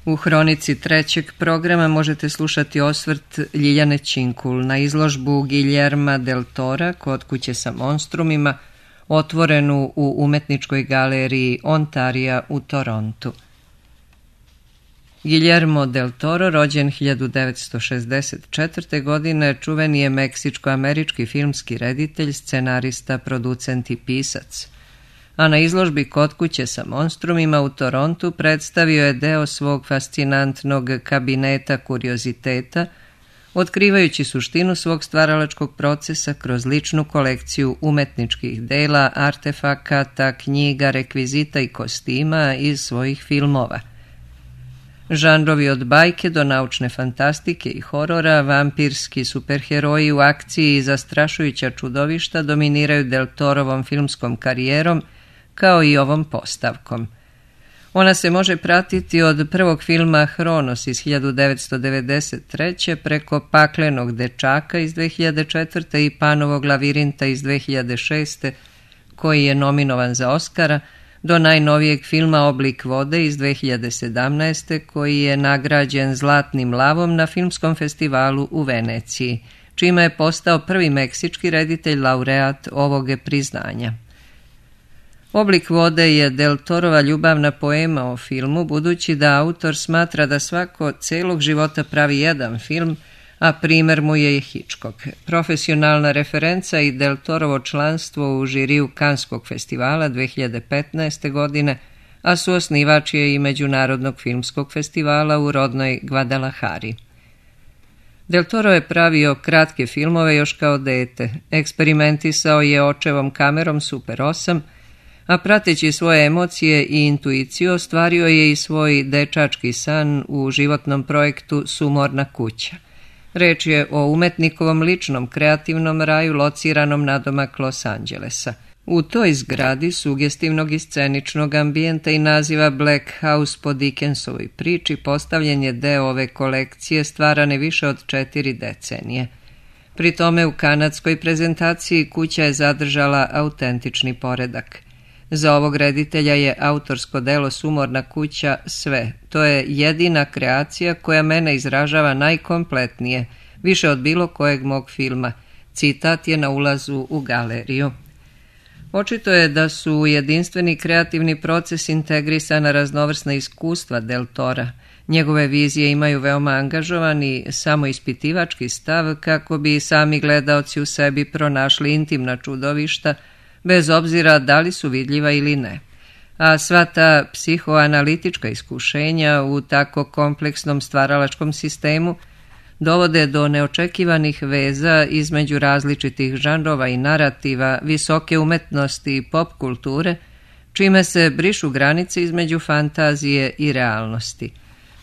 U hronici trećeg programa možete slušati osvrt Ljiljane Činkul na izložbu Guillerma del Tora Kod kuće sa monstrumima, otvorenu u umetničkoj galeriji Ontarija u Torontu. Guillermo del Toro, rođen 1964. godine, čuveni je meksičko-američki filmski reditelj, scenarista, producent i pisac. A na izložbi Kod kuće sa monstrumima u Torontu predstavio je deo svog fascinantnog kabineta kurioziteta, otkrivajući suštinu svog stvaralačkog procesa kroz ličnu kolekciju umetničkih dela, artefakata, knjiga, rekvizita i kostima iz svojih filmova. Žanrovi od bajke do naučne fantastike i horora, vampirski superheroji u akciji i zastrašujuća čudovišta dominiraju Del Torovom filmskom karijerom, kao i ovom postavkom. Ona se može pratiti od prvog filma Hronos iz 1993. preko Paklenog dečaka iz 2004. i Panovog lavirinta iz 2006. koji je nominovan za Oskara, do najnovijeg filma Oblik vode iz 2017. koji je nagrađen Zlatnim lavom na filmskom festivalu u Veneciji, čime je postao prvi meksički reditelj laureat ovog priznanja. Oblik vode je Del Torova ljubavna poema o filmu, budući da autor smatra da svako celog života pravi jedan film, a primer mu je i Hitchcock. Profesionalna referenca i Del Torovo članstvo u žiriju Kanskog festivala 2015. godine, a suosnivač je i Međunarodnog filmskog festivala u rodnoj Guadalajari. Del Toro je pravio kratke filmove još kao dete, eksperimentisao je očevom kamerom Super 8, a prateći svoje emocije i intuiciju ostvario je i svoj dečački san u životnom projektu Sumorna kuća. Reč je o umetnikovom ličnom kreativnom raju lociranom nadomak Los Angelesa. U toj zgradi sugestivnog i sceničnog ambijenta i naziva Black House po Dickensovoj priči postavljen je deo ove kolekcije stvarane više od 4 decenije. Pri tome u kanadskoj prezentaciji kuća je zadržala autentični poredak. Za ovog reditelja je autorsko delo Sumorna kuća sve. To je jedina kreacija koja mene izražava najkompletnije, više od bilo kojeg mog filma. Citat je na ulazu u galeriju. Očito je da su u jedinstveni kreativni proces integrisana raznovrsna iskustva Del Tora. Njegove vizije imaju veoma angažovani, samoispitivački stav kako bi sami gledaoci u sebi pronašli intimna čudovišta, bez obzira da li su vidljiva ili ne. A sva ta psihoanalitička iskušenja u tako kompleksnom stvaralačkom sistemu dovode do neočekivanih veza između različitih žanrova i narativa, visoke umetnosti i pop kulture, čime se brišu granice između fantazije i realnosti.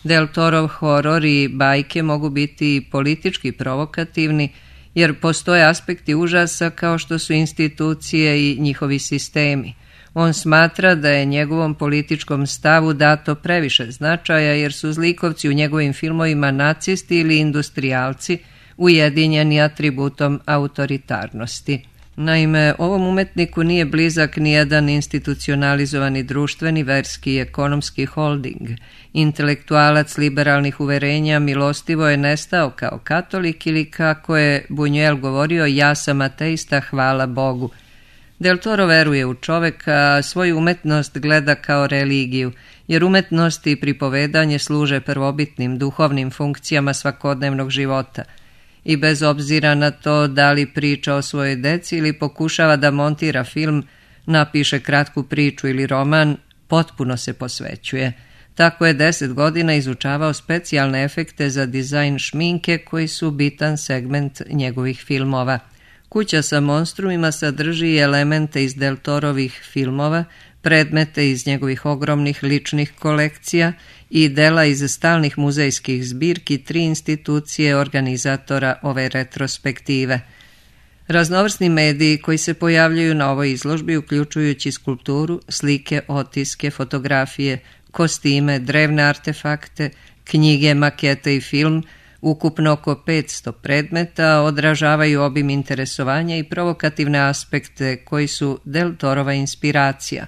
Del Torov horor i bajke mogu biti politički provokativni, jer postoje aspekti užasa kao što su institucije i njihovi sistemi. On smatra da je njegovom političkom stavu dato previše značaja jer su zlikovci u njegovim filmovima nacisti ili industrijalci ujedinjeni atributom autoritarnosti. Naime, ovom umetniku nije blizak nijedan institucionalizovani društveni, verski i ekonomski holding. Intelektualac liberalnih uverenja milostivo je nestao kao katolik ili, kako je Buñuel govorio, ja sam ateista, hvala Bogu. Del Toro veruje u čoveka, a svoju umetnost gleda kao religiju, jer umetnost i pripovedanje služe prvobitnim duhovnim funkcijama svakodnevnog života. I bez obzira na to da li priča o svojoj deci ili pokušava da montira film, napiše kratku priču ili roman, potpuno se posvećuje. Tako je 10 godina izučavao specijalne efekte za dizajn šminke koji su bitan segment njegovih filmova. Kuća sa monstrumima sadrži elemente iz Del Torovih filmova, predmete iz njegovih ogromnih ličnih kolekcija i dela iz stalnih muzejskih zbirki 3 institucije organizatora ove retrospektive. Raznovrsni mediji koji se pojavljuju na ovoj izložbi, uključujući skulpturu, slike, otiske, fotografije, kostime, drevne artefakte, knjige, makete i film, ukupno oko 500 predmeta, odražavaju obim interesovanja i provokativne aspekte koji su Del Torova inspiracija.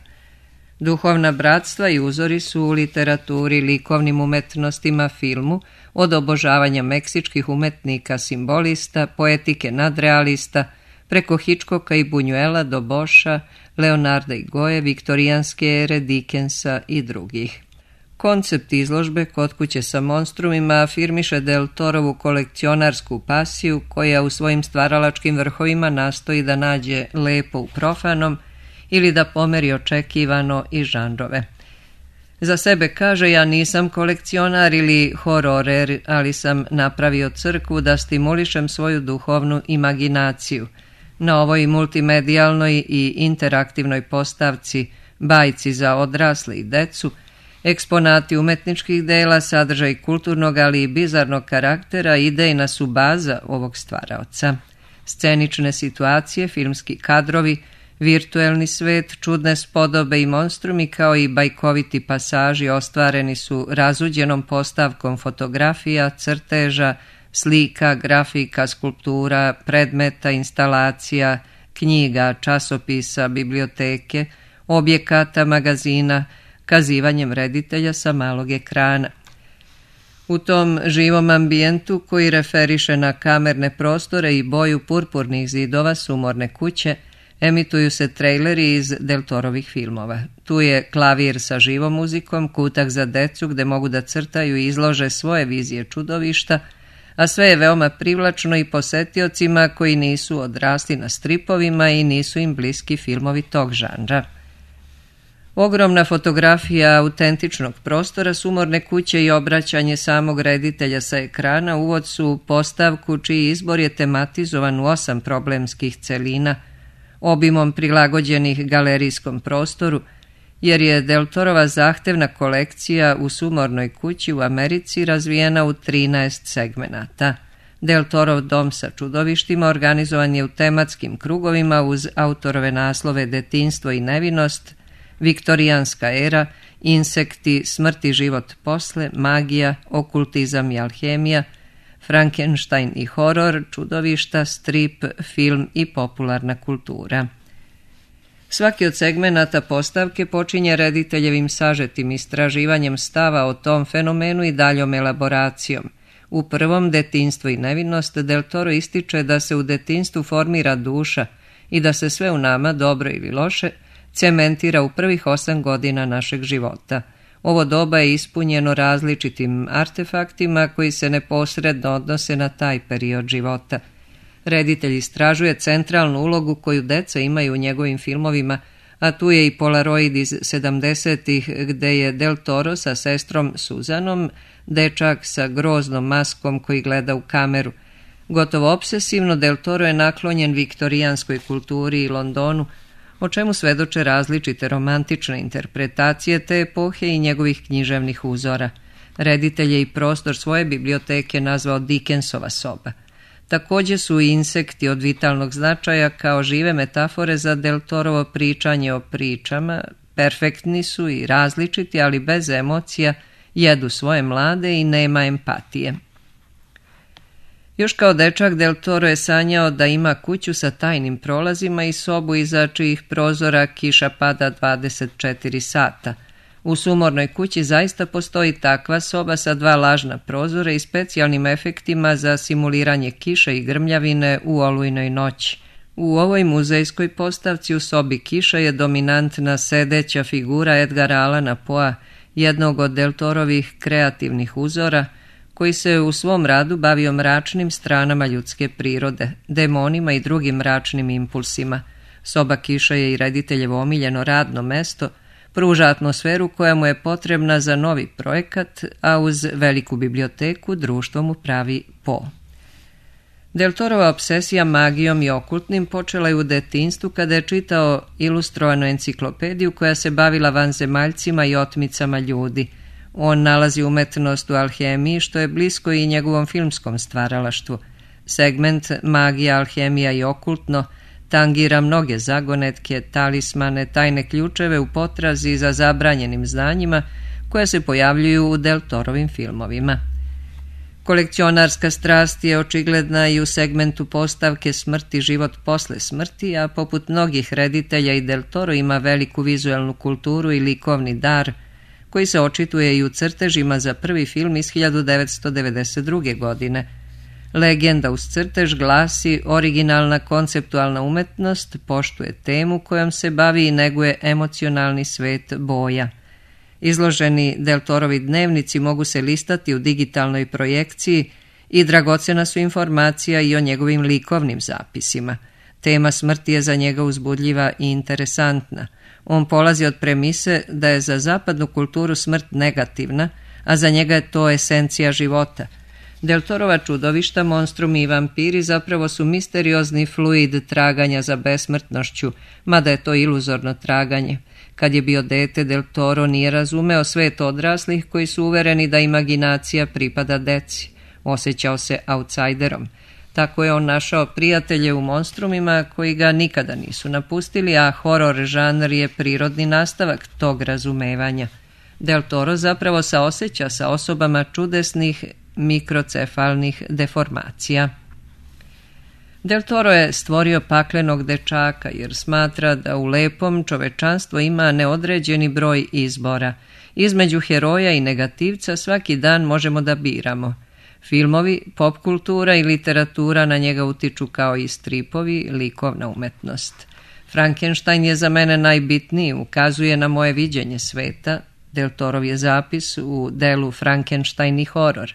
Duhovna bratstva i uzori su u literaturi, likovnim umetnostima, filmu, od obožavanja meksičkih umetnika simbolista, poetike nadrealista, preko Hitchcocka i Buñuela do Boscha, Leonarda i Goje, viktorijanske ere, Dickensa i drugih. Koncept izložbe Kod kuće sa monstrumima afirmiše Del Torovu kolekcionarsku pasiju koja u svojim stvaralačkim vrhovima nastoji da nađe lepo u profanom ili da pomeri očekivano i žanrove. Za sebe kaže: ja nisam kolekcionar ili hororer, ali sam napravio crkvu da stimulišem svoju duhovnu imaginaciju. Na ovoj multimedijalnoj i interaktivnoj postavci, bajci za odrasle i decu, eksponati umetničkih dela, sadržaj kulturnog, ali i bizarnog karaktera, idejna su baza ovog stvaraoca. Scenične situacije, filmski kadrovi, virtuelni svet, čudne spodobe i monstrumi kao i bajkoviti pasaži ostvareni su razuđenom postavkom fotografija, crteža, slika, grafika, skulptura, predmeta, instalacija, knjiga, časopisa, biblioteke, objekata, magazina, kazivanjem reditelja sa malog ekrana. U tom živom ambijentu koji referiše na kamerne prostore i boju purpurnih zidova sumorne kuće, emituju se trejleri iz Del Torovih filmova. Tu je klavir sa živom muzikom, kutak za decu gde mogu da crtaju i izlože svoje vizije čudovišta, a sve je veoma privlačno i posetiocima koji nisu odrasli na stripovima i nisu im bliski filmovi tog žanra. Ogromna fotografija autentičnog prostora sumorne kuće i obraćanje samog reditelja sa ekrana uvod su u postavku čiji izbor je tematizovan u 8 problemskih celina, obimom prilagođenih galerijskom prostoru, jer je Del Torova zahtevna kolekcija u sumornoj kući u Americi razvijena u 13 segmenata. Del Torov dom sa čudovištima organizovan je u tematskim krugovima uz autorove naslove Detinjstvo i nevinost, Viktorijanska era, Insekti, Smrt i život posle, Magija, Okultizam i alhemija, Frankenstein i horor, čudovišta, strip, film i popularna kultura. Svaki od segmenata postavke počinje rediteljevim sažetim istraživanjem stava o tom fenomenu i daljom elaboracijom. U prvom, Detinjstvo i nevinost, Del Toro ističe da se u detinjstvu formira duša i da se sve u nama, dobro ili loše, cementira u prvih 8 godina našeg života. Ovo doba je ispunjeno različitim artefaktima koji se neposredno odnose na taj period života. Reditelj istražuje centralnu ulogu koju deca imaju u njegovim filmovima, a tu je i Polaroid iz 70-ih gde je Del Toro sa sestrom Suzanom, dečak sa groznom maskom koji gleda u kameru. Gotovo obsesivno Del Toro je naklonjen viktorijanskoj kulturi i Londonu, o čemu svedoče različite romantične interpretacije te epohe i njegovih književnih uzora. Reditelj je i prostor svoje biblioteke nazvao Dickensova soba. Također su i insekti od vitalnog značaja kao žive metafore za Del Torovo pričanje o pričama, perfektni su i različiti, ali bez emocija, jedu svoje mlade i nema empatije. Još kao dečak Del Toro je sanjao da ima kuću sa tajnim prolazima i sobu iza čijih prozora kiša pada 24 sata. U sumornoj kući zaista postoji takva soba sa 2 lažna prozora i specijalnim efektima za simuliranje kiše i grmljavine u olujnoj noći. U ovoj muzejskoj postavci u sobi kiša je dominantna sedeća figura Edgara Allana Poea, jednog od Del Torovih kreativnih uzora, koji se u svom radu bavio mračnim stranama ljudske prirode, demonima i drugim mračnim impulsima. Soba kiša je i rediteljevo omiljeno radno mesto, pruža atmosferu koja mu je potrebna za novi projekat, a uz veliku biblioteku društvo mu pravi Poe. Del Torova obsesija magijom i okultnim počela je u detinjstvu kada je čitao ilustrovanu enciklopediju koja se bavila vanzemaljcima i otmicama ljudi. On nalazi umetnost u alhemiji, što je blisko i njegovom filmskom stvaralaštvu. Segment magija, alhemija i okultno tangira mnoge zagonetke, talismane, tajne ključeve u potrazi za zabranjenim znanjima koje se pojavljuju u Del Torovim filmovima. Kolekcionarska strast je očigledna i u segmentu postavke Smrt i život posle smrti, a poput mnogih reditelja i Del Toro ima veliku vizuelnu kulturu i likovni dar, koji se očituje i u crtežima za prvi film iz 1992. godine. Legenda uz crtež glasi: originalna konceptualna umetnost poštuje temu kojom se bavi i neguje emocionalni svet boja. Izloženi Del Torovi dnevnici mogu se listati u digitalnoj projekciji i dragocena su informacija i o njegovim likovnim zapisima. Tema smrti je za njega uzbudljiva i interesantna. On polazi od premise da je za zapadnu kulturu smrt negativna, a za njega je to esencija života. Del Torova čudovišta, monstrumi i vampiri zapravo su misteriozni fluid traganja za besmrtnošću, mada je to iluzorno traganje. Kad je bio dete, Del Toro nije razumeo svet odraslih koji su uvereni da imaginacija pripada deci. Osjećao se outsiderom. Tako je on našao prijatelje u monstrumima koji ga nikada nisu napustili, a horor žanr je prirodni nastavak tog razumevanja. Del Toro zapravo saoseća sa osobama čudesnih mikrocefalnih deformacija. Del Toro je stvorio paklenog dečaka jer smatra da u lepom čovečanstvo ima neodređeni broj izbora. Između heroja i negativca svaki dan možemo da biramo. Filmovi, pop kultura i literatura na njega utiču kao i stripovi, likovna umetnost. Frankenstein je za mene najbitniji, ukazuje na moje viđenje sveta. Del Torov je zapis u delu Frankenstein i horor.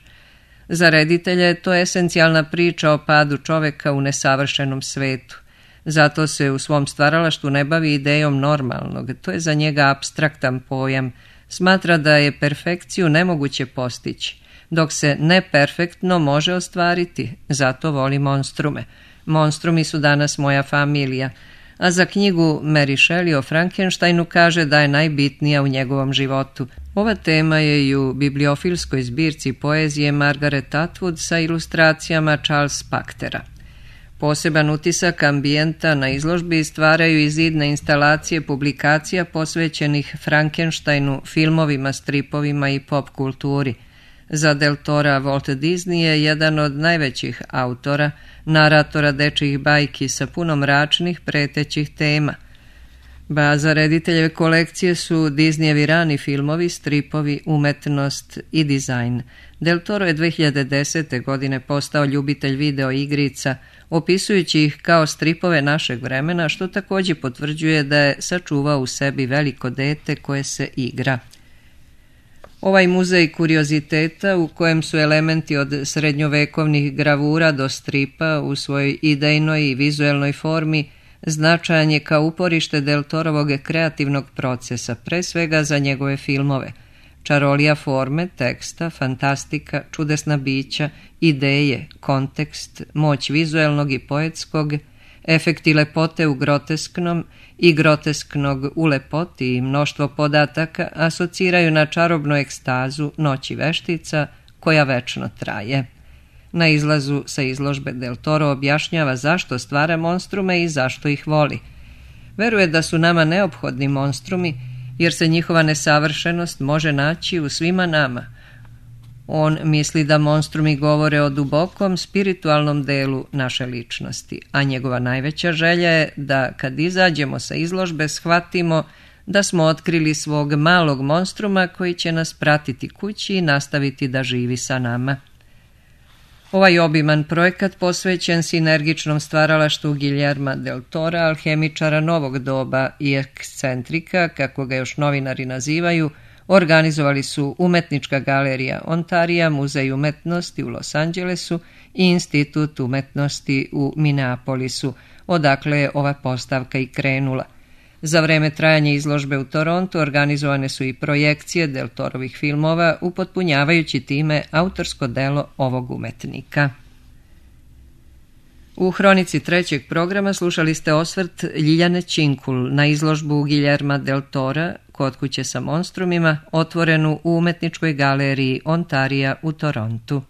Za reditelja je to esencijalna priča o padu čoveka u nesavršenom svetu. Zato se u svom stvaralaštvu ne bavi idejom normalnog, to je za njega apstraktan pojam. Smatra da je perfekciju nemoguće postići, dok se neperfektno može ostvariti, zato voli monstrume. Monstrumi su danas moja familija, a za knjigu Mary Shelley o Frankensteinu kaže da je najbitnija u njegovom životu. Ova tema je i u bibliofilskoj zbirci poezije Margaret Atwood sa ilustracijama Charles Pachtera. Poseban utisak ambijenta na izložbi stvaraju i zidne instalacije publikacija posvećenih Frankensteinu, filmovima, stripovima i pop kulturi. Za Del Tora Walt Disney je jedan od najvećih autora, naratora dečjih bajki sa puno mračnih, pretećih tema. Baza rediteljeve kolekcije su Disneyevi rani filmovi, stripovi, umetnost i dizajn. Del Toro je 2010. godine postao ljubitelj video igrica, opisujući ih kao stripove našeg vremena, što također potvrđuje da je sačuvao u sebi veliko dete koje se igra. Ovaj muzej kurioziteta, u kojem su elementi od srednjovekovnih gravura do stripa u svojoj idejnoj i vizuelnoj formi, značajan je kao uporište Del Torovog kreativnog procesa, pre svega za njegove filmove. Čarolija forme, teksta, fantastika, čudesna bića, ideje, kontekst, moć vizuelnog i poetskog, efekti lepote u grotesknom i grotesknog u lepoti i mnoštvo podataka asociraju na čarobnu ekstazu Noći veštica koja večno traje. Na izlazu sa izložbe Del Toro objašnjava zašto stvara monstrume i zašto ih voli. Veruje da su nama neophodni monstrumi jer se njihova nesavršenost može naći u svima nama. On misli da monstrumi govore o dubokom spiritualnom delu naše ličnosti, a njegova najveća želja je da kad izađemo sa izložbe shvatimo da smo otkrili svog malog monstruma koji će nas pratiti kući i nastaviti da živi sa nama. Ovaj obiman projekat posvećen sinergičnom stvaralaštvu Guillerma del Tora, alhemičara novog doba i ekscentrika, kako ga još novinari nazivaju, organizovali su Umetnička galerija Ontarija, Muzej umetnosti u Los Angelesu i Institut umetnosti u Minneapolisu, odakle je ova postavka i krenula. Za vreme trajanja izložbe u Torontu organizovane su i projekcije Del Torovih filmova, upotpunjavajući time autorsko delo ovog umetnika. U hronici trećeg programa slušali ste osvrt Ljiljane Činkul na izložbu Guillerma del Tora Kod kuće sa monstrumima, otvorenu u Umetničkoj galeriji Ontarija u Torontu.